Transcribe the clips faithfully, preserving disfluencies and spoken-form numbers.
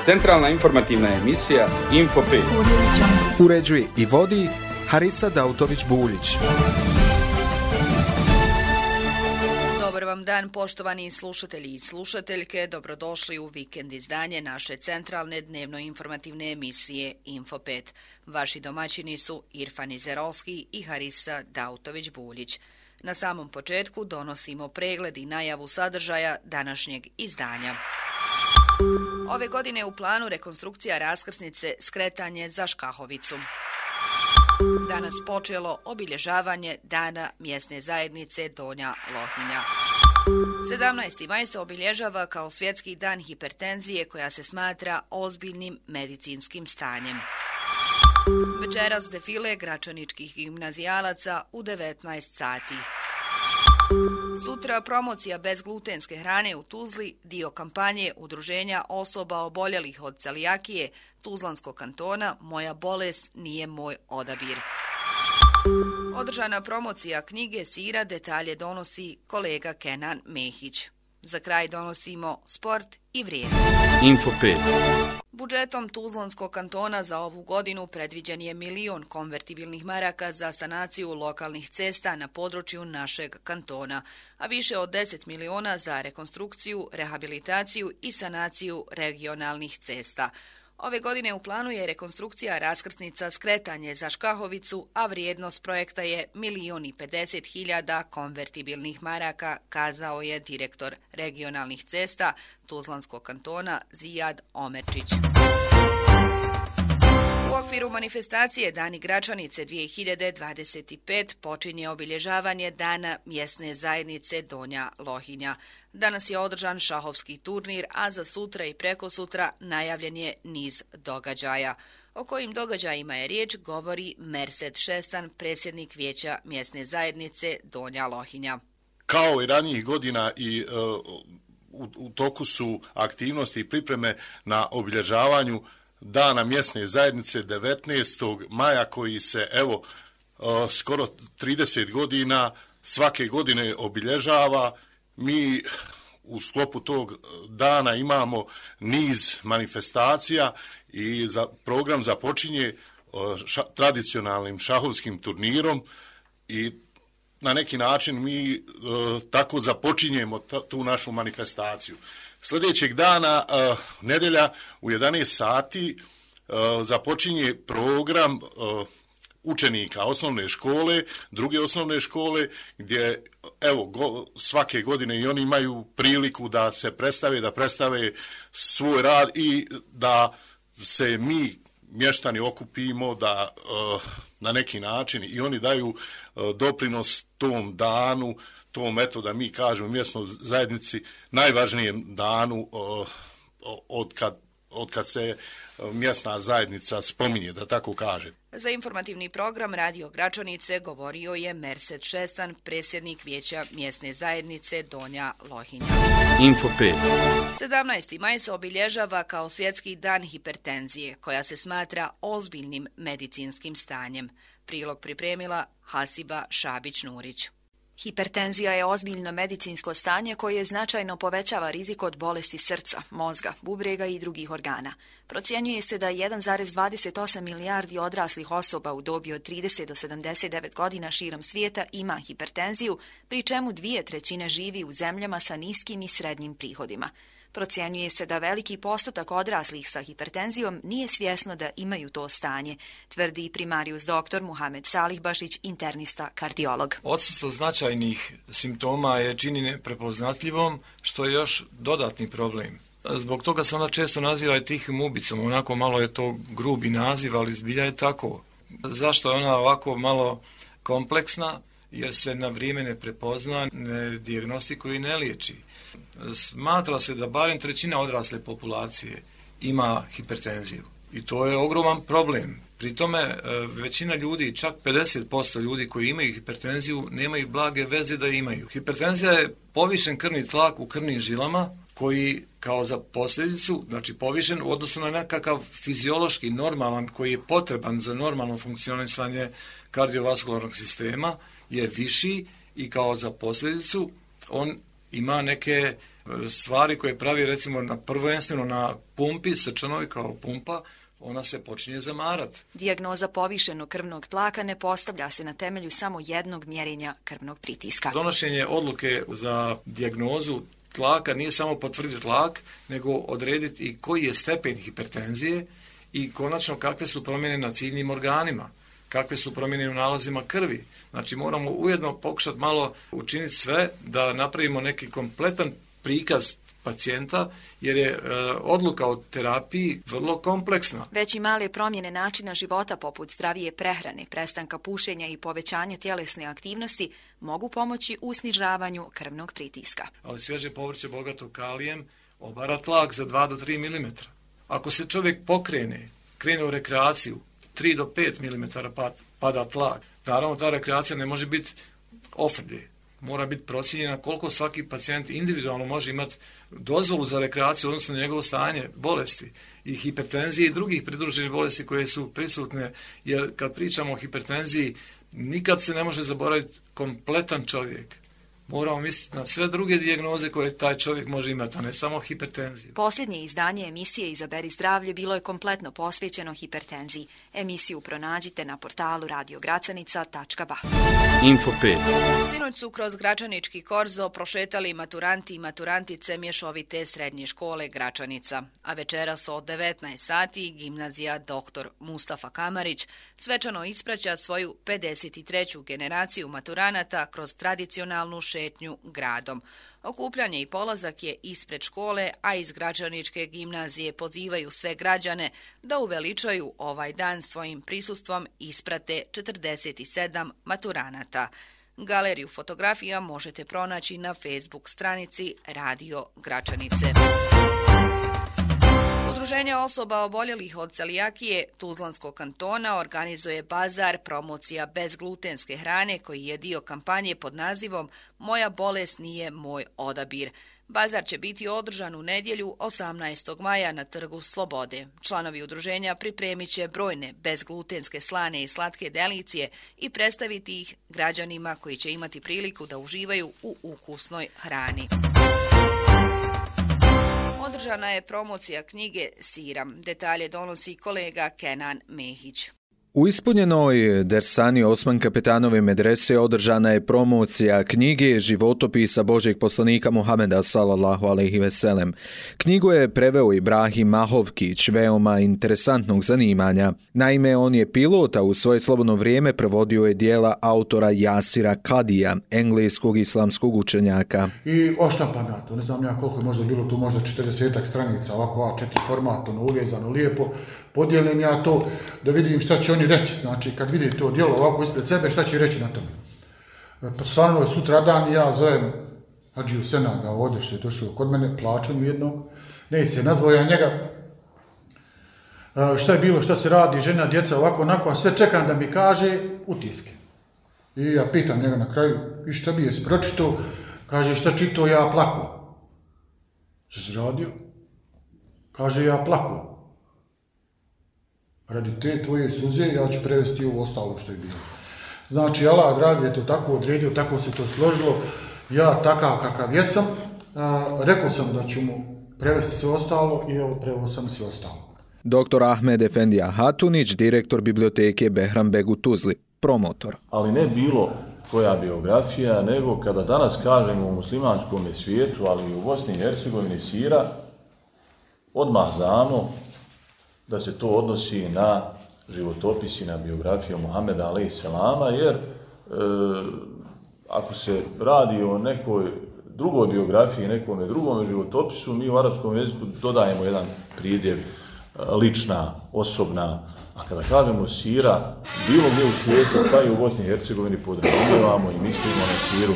Centralna informativna emisija Info pet. Uređuje i vodi Harisa Dautović-Buljić. Dobar vam dan, poštovani slušatelji i slušateljke. Dobrodošli u vikend izdanje naše centralne dnevno-informativne emisije Info pet. Vaši domaćini su Irfan Izerolski i Harisa Dautović-Buljić. Na samom početku donosimo pregled i najavu sadržaja današnjeg izdanja. Ove godine u planu rekonstrukcija raskrsnice Skretanje za Škahovicu. Danas počelo obilježavanje Dana mjesne zajednice Donja Lohinja. sedamnaesti maj se obilježava kao svjetski dan hipertenzije koja se smatra ozbiljnim medicinskim stanjem. Večeras defile gračaničkih gimnazijalaca u devetnaest sati. Sutra promocija bezglutenske hrane u Tuzli, dio kampanje Udruženja osoba oboljelih od celijakije Tuzlanskog kantona Moja bolest nije moj odabir. Održana promocija knjige Sira, detalje donosi kolega Kenan Mehić. Za kraj donosimo sport i vrijeme. Info pet. Budžetom Tuzlanskog kantona za ovu godinu predviđen je milion konvertibilnih maraka za sanaciju lokalnih cesta na području našeg kantona, a više od deset miliona za rekonstrukciju, rehabilitaciju i sanaciju regionalnih cesta. Ove godine u planu je rekonstrukcija raskrsnica Skretanje za Škahovicu, a vrijednost projekta je milion i pedeset hiljada konvertibilnih maraka, kazao je direktor regionalnih cesta Tuzlanskog kantona Zijad Omerčić. U okviru manifestacije Dani Gračanice dvije hiljade dvadeset pet počinje obilježavanje Dana mjesne zajednice Donja Lohinja. Danas je održan šahovski turnir, a za sutra i prekosutra najavljen je niz događaja. O kojim događajima je riječ govori Mersed Šestan, predsjednik Vijeća mjesne zajednice Donja Lohinja. Kao i ranijih godina i uh, u, u toku su aktivnosti i pripreme na obilježavanju Dana mjesne zajednice devetnaestog maja koji se evo uh, skoro trideset godina svake godine obilježava. Mi u sklopu tog dana imamo niz manifestacija i za program započinje ša, tradicionalnim šahovskim turnirom i na neki način mi e, tako započinjemo ta, tu našu manifestaciju. Sljedećeg dana, e, nedjelja u jedanaest sati, e, započinje program e, učenika osnovne škole, druge osnovne škole, gdje evo go, svake godine i oni imaju priliku da se predstave, da predstave svoj rad i da se mi mještani okupimo, da uh, na neki način i oni daju uh, doprinos tom danu, tom eto da mi kažemo mjesnoj zajednici najvažnijem danu uh, od kad, od kad se mjesna zajednica spominje, da tako kaže. Za informativni program Radio Gračanice govorio je Mersed Šestan, predsjednik Vijeća mjesne zajednice Donja Lohinja. Info pet. sedamnaesti maj se obilježava kao svjetski dan hipertenzije, koja se smatra ozbiljnim medicinskim stanjem. Prilog pripremila Hasiba Šabić-Nurić. Hipertenzija je ozbiljno medicinsko stanje koje značajno povećava rizik od bolesti srca, mozga, bubrega i drugih organa. Procjenjuje se da jedan zarez dvadeset osam milijardi odraslih osoba u dobi od trideset do sedamdeset devet godina širom svijeta ima hipertenziju, pri čemu dvije trećine živi u zemljama sa niskim i srednjim prihodima. Procjenjuje se da veliki postotak odraslih sa hipertenzijom nije svjesno da imaju to stanje, tvrdi primarius doktor Muhamed Salihbašić, internista kardiolog. Odsustvo značajnih simptoma je čini neprepoznatljivom, što je još dodatni problem. Zbog toga se ona često naziva i tihim ubicom, onako malo je to grubi naziv, ali zbilja je tako. Zašto je ona ovako malo kompleksna? Jer se na vrijeme ne prepozna, ne dijagnostikuje i ne liječi. Smatra se da barem trećina odrasle populacije ima hipertenziju i to je ogroman problem. Pri tome većina ljudi, čak pedeset posto ljudi koji imaju hipertenziju, nemaju blage veze da imaju. Hipertenzija je povišen krvni tlak u krvnim žilama koji kao za posljedicu, znači povišen u odnosu na nekakav fiziološki normalan koji je potreban za normalno funkcionisanje kardiovaskularnog sistema, je viši i kao za posljedicu on ima neke stvari koje pravi recimo na prvenstveno na pumpi, srčanoj kao pumpa, ona se počinje zamarati. Dijagnoza povišenog krvnog tlaka ne postavlja se na temelju samo jednog mjerenja krvnog pritiska. Donošenje odluke za dijagnozu tlaka nije samo potvrditi tlak, nego odrediti i koji je stepen hipertenzije i konačno kakve su promjene na ciljnim organima, kakve su promjene u nalazima krvi. Znači moramo ujedno pokušati malo učiniti sve da napravimo neki kompletan prikaz pacijenta, jer je e, odluka o terapiji vrlo kompleksna. Već i male promjene načina života poput zdravije prehrane, prestanka pušenja i povećanja tjelesne aktivnosti mogu pomoći u snižavanju krvnog pritiska. Ali svježe povrće bogato kalijem obara tlak za dva do tri milimetra. Ako se čovjek pokrene, krene u rekreaciju, tri do pet milimetara pada tlak. Naravno, ta rekreacija ne može biti ofrlje. Mora biti procijenjena koliko svaki pacijent individualno može imati dozvolu za rekreaciju odnosno njegovo stanje bolesti i hipertenzije i drugih pridruženih bolesti koje su prisutne, jer kad pričamo o hipertenziji nikad se ne može zaboraviti kompletan čovjek. Moramo misliti na sve druge dijagnoze koje taj čovjek može imati, a ne samo hipertenziju. Posljednje izdanje emisije Izaberi zdravlje bilo je kompletno posvećeno hipertenziji. Emisiju pronađite na portalu radio gracanica tačka ba. Info pet. Sinoć su kroz Gračanički korzo prošetali maturanti i maturantice mješovite srednje škole Gračanica, a večeras od devetnaest sati gimnazija doktor Mustafa Kamarić svečano ispraća svoju pedeset treću generaciju maturanata kroz tradicionalnu šetnju gradom. Okupljanje i polazak je ispred škole, a iz Gračaničke gimnazije pozivaju sve građane da uveličaju ovaj dan svojim prisustvom isprate četrdeset sedam maturanata. Galeriju fotografija možete pronaći na Facebook stranici Radio Gračanice. Udruženje osoba oboljelih od celijakije Tuzlanskog kantona organizuje bazar promocija bezglutenske hrane koji je dio kampanje pod nazivom Moja bolest nije moj odabir. Bazar će biti održan u nedjelju osamnaestog maja na Trgu Slobode. Članovi udruženja pripremit će brojne bezglutenske slane i slatke delicije i predstaviti ih građanima koji će imati priliku da uživaju u ukusnoj hrani. Održana je promocija knjige Siram. Detalje donosi kolega Kenan Mehić. U ispunjenoj dersani Osman Kapetanove medrese održana je promocija knjige Životopisa Božjeg poslanika Muhameda sallallahu alejhi ve sellem. Knjigu je preveo Ibrahim Mahovkić, veoma interesantnog zanimanja. Naime, on je pilot, a u svoje slobodno vrijeme prevodio je dijela autora Jasira Kadija, engleskog islamskog učenjaka. I oštampam ja to, ne znam ja koliko je možda bilo tu, možda četrdesetak stranica, ovako A četiri format, ono uvezano lijepo. Podijelim ja to da vidim šta će oni reći, znači kad vidi to djelo ovako ispred sebe, šta će reći na tome. Pa stvarno je sutra dan, ja zovem Hadžiju Senaga ovdje što je došao kod mene, plaću mi jednog, ne se nazvao ja njega, šta je bilo, šta se radi, žena, djeca, ovako, onako, a sve čekam da mi kaže utiske. I ja pitam njega na kraju, i šta bi je pročito, kaže šta čito, ja plaku. Šta se radio? Kaže ja plaku. Radi te tvoje suze, ja ću prevesti ovo ostalo što je bilo. Znači, Allah dragi je to tako odredio, tako se to složilo. Ja takav kakav jesam, a, rekao sam da ću mu prevesti sve ostalo i evo preveo sam sve ostalo. Doktor Ahmed Efendija Hatunić, direktor biblioteke Behram Beg u Tuzli, promotor. Ali ne bilo koja biografija, nego kada danas kažemo u muslimanskom svijetu, ali i u Bosni i Hercegovini sira, odmah znamo da se to odnosi na životopis i na biografiju Muhameda alejhi selama, jer e, ako se radi o nekoj drugoj biografiji, nekom drugom životopisu, mi u arapskom jeziku dodajemo jedan pridjev lična, osobna, a kada kažemo sira, bilo gdje u svijetu, pa i u Bosni i Hercegovini podrazumijevamo i mislimo na siru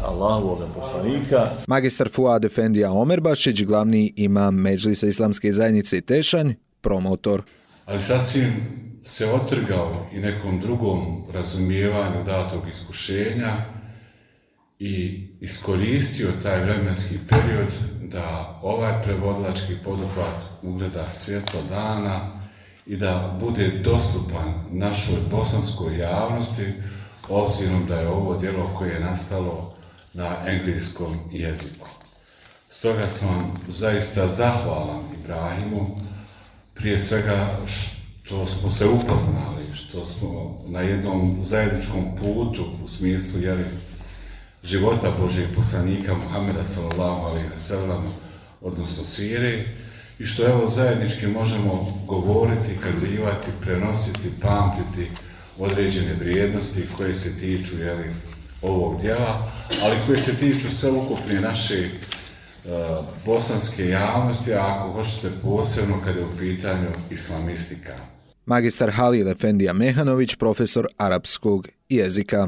Allahovog poslanika. Magistar Fuad Efendija Omerbašić, glavni imam Medžlisa Islamske zajednice Tešanj, promotor. Ali sasvim se otrgao i nekom drugom razumijevanju datog iskušenja i iskoristio taj vremenski period da ovaj prevodilački poduhvat ugleda svjetlo dana i da bude dostupan našoj bosanskoj javnosti, obzirom da je ovo djelo koje je nastalo na engleskom jeziku. Stoga sam zaista zahvalan Ibrahimu, prije svega što smo se upoznali, što smo na jednom zajedničkom putu u smislu jeli, života Božijeg poslanika Muhameda sallallahu alejhi ve sellem, odnosno sire, i što evo zajednički možemo govoriti, kazivati, prenositi, pamtiti određene vrijednosti koje se tiču jeli, ovog djela, ali koje se tiču sveukupne naše uh, bosanske javnosti, a ako hoćete posebno kada je u pitanju islamistika. Magistar Halil Efendija Mehanović, profesor arapskog jezika.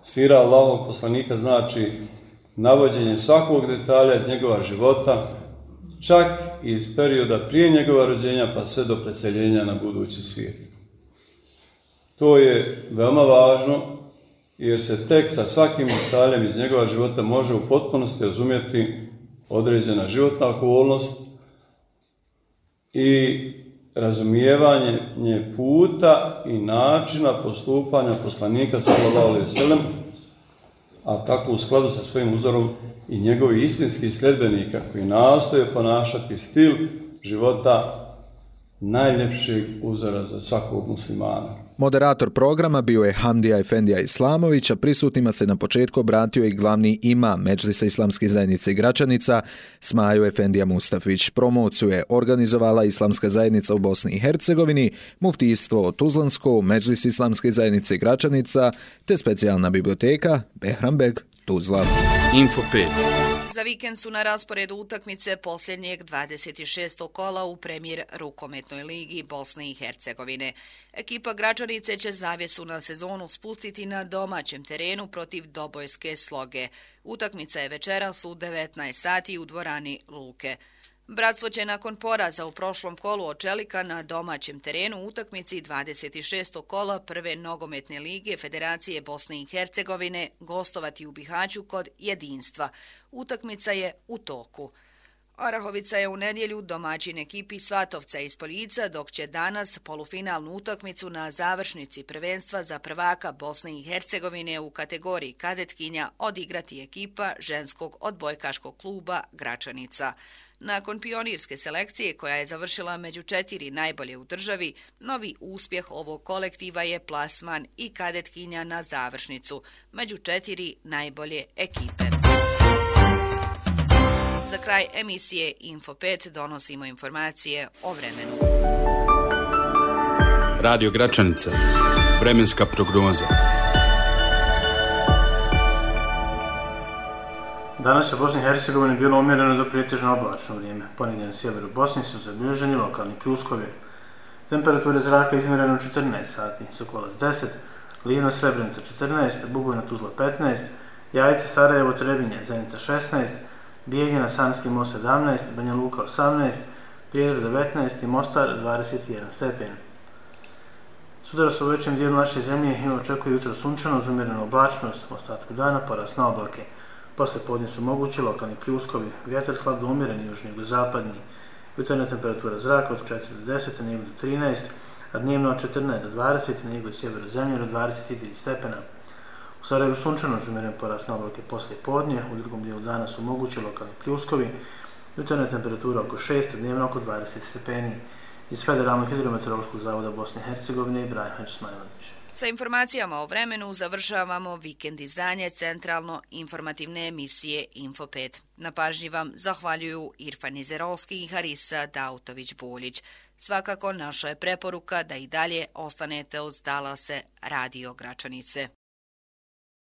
Sira Allahovog poslanika znači navođenje svakog detalja iz njegova života, čak i iz perioda prije njegova rođenja pa sve do preseljenja na budući svijet. To je veoma važno jer se tek sa svakim detaljem iz njegova života može u potpunosti razumjeti određena životna okolnost i razumijevanje puta i načina postupanja poslanika sallallahu alejhi ve sellem, a tako u skladu sa svojim uzorom i njegovih istinskih sljedbenika koji nastoje ponašati stil života najljepšeg uzora za svakog muslimana. Moderator programa bio je Hamdija Efendija Islamović, a prisutnima se na početku obratio i glavni imam Medžlisa Islamske zajednice Gračanica, Smajo Efendija Mustafić. Promociju je organizovala Islamska zajednica u Bosni i Hercegovini, muftijstvo Tuzlansko, Medžlis Islamske zajednice Gračanica, te specijalna biblioteka Behranbeg Tuzla. Info pet. Za vikend su na rasporedu utakmice posljednjeg dvadeset šestog kola u Premijer rukometnoj ligi Bosne i Hercegovine. Ekipa Gračanice će zavjesu na sezonu spustiti na domaćem terenu protiv Dobojske Sloge. Utakmica je večeras u devetnaest sati u dvorani Luke. Bratstvo će nakon poraza u prošlom kolu od Čelika na domaćem terenu u utakmici dvadeset šestog kola Prve nogometne lige Federacije Bosne i Hercegovine gostovati u Bihaću kod Jedinstva. Utakmica je u toku. Orahovica je u nedjelju domaćin ekipi Svatovca iz Poljica, dok će danas polufinalnu utakmicu na završnici prvenstva za prvaka Bosne i Hercegovine u kategoriji kadetkinja odigrati ekipa ženskog odbojkaškog kluba Gračanica. Nakon pionirske selekcije koja je završila među četiri najbolje u državi, novi uspjeh ovog kolektiva je plasman i kadetkinja na završnicu, među četiri najbolje ekipe. Za kraj emisije Info pet donosimo informacije o vremenu. Radio Gračanica. Vremenska prognoza. Danas u Bosni i Hercegovini bilo umjereno do pretežno oblačno vrijeme. Ponegdje na sjeveru Bosne su zabilježeni lokalni pljuskovi. Temperature zraka izmjerene u četrnaest sati, Sokolac deset, Livno Srebrenica četrnaest, Bugojna Tuzla petnaest, Jajce Sarajevo Trebinje Zenica šesnaest, Bijeljina Sanski most sedamnaest, Banja Luka osamnaest, Prijedor devetnaest i Mostar dvadeset jedan stepen. Sutra su u većem dijelu naše zemlje i očekuje jutro sunčano uz umjerenu oblačnost, u ostatku dana porast na oblake. Posle podne su mogući lokalni pljuskovi, vjetar slab do umjereni južno-jugozapadni, jutarnja temperatura zraka od četiri do deset, na jugu do trinaest, a dnevno od četrnaest do dvadeset, na jugu i sjeveru zemlje do dvadeset tri stepena. U Sarajevu sunčano uz umjeren porast na oblake posle podne, u drugom dijelu dana su mogući lokalni pljuskovi, jutarnja temperatura oko šest, dnevno oko dvadeset stepeni. Iz Federalnog hidrometeorološkog zavoda Bosne i Hercegovine Ibrahim Hadžismajlović. Sa informacijama o vremenu završavamo vikend izdanje centralno informativne emisije Info pet. Na pažnji vam zahvaljuju Irfan Izerolski i Harisa Dautović-Buljić. Svakako naša je preporuka da i dalje ostanete uz talase Radio Gračanice.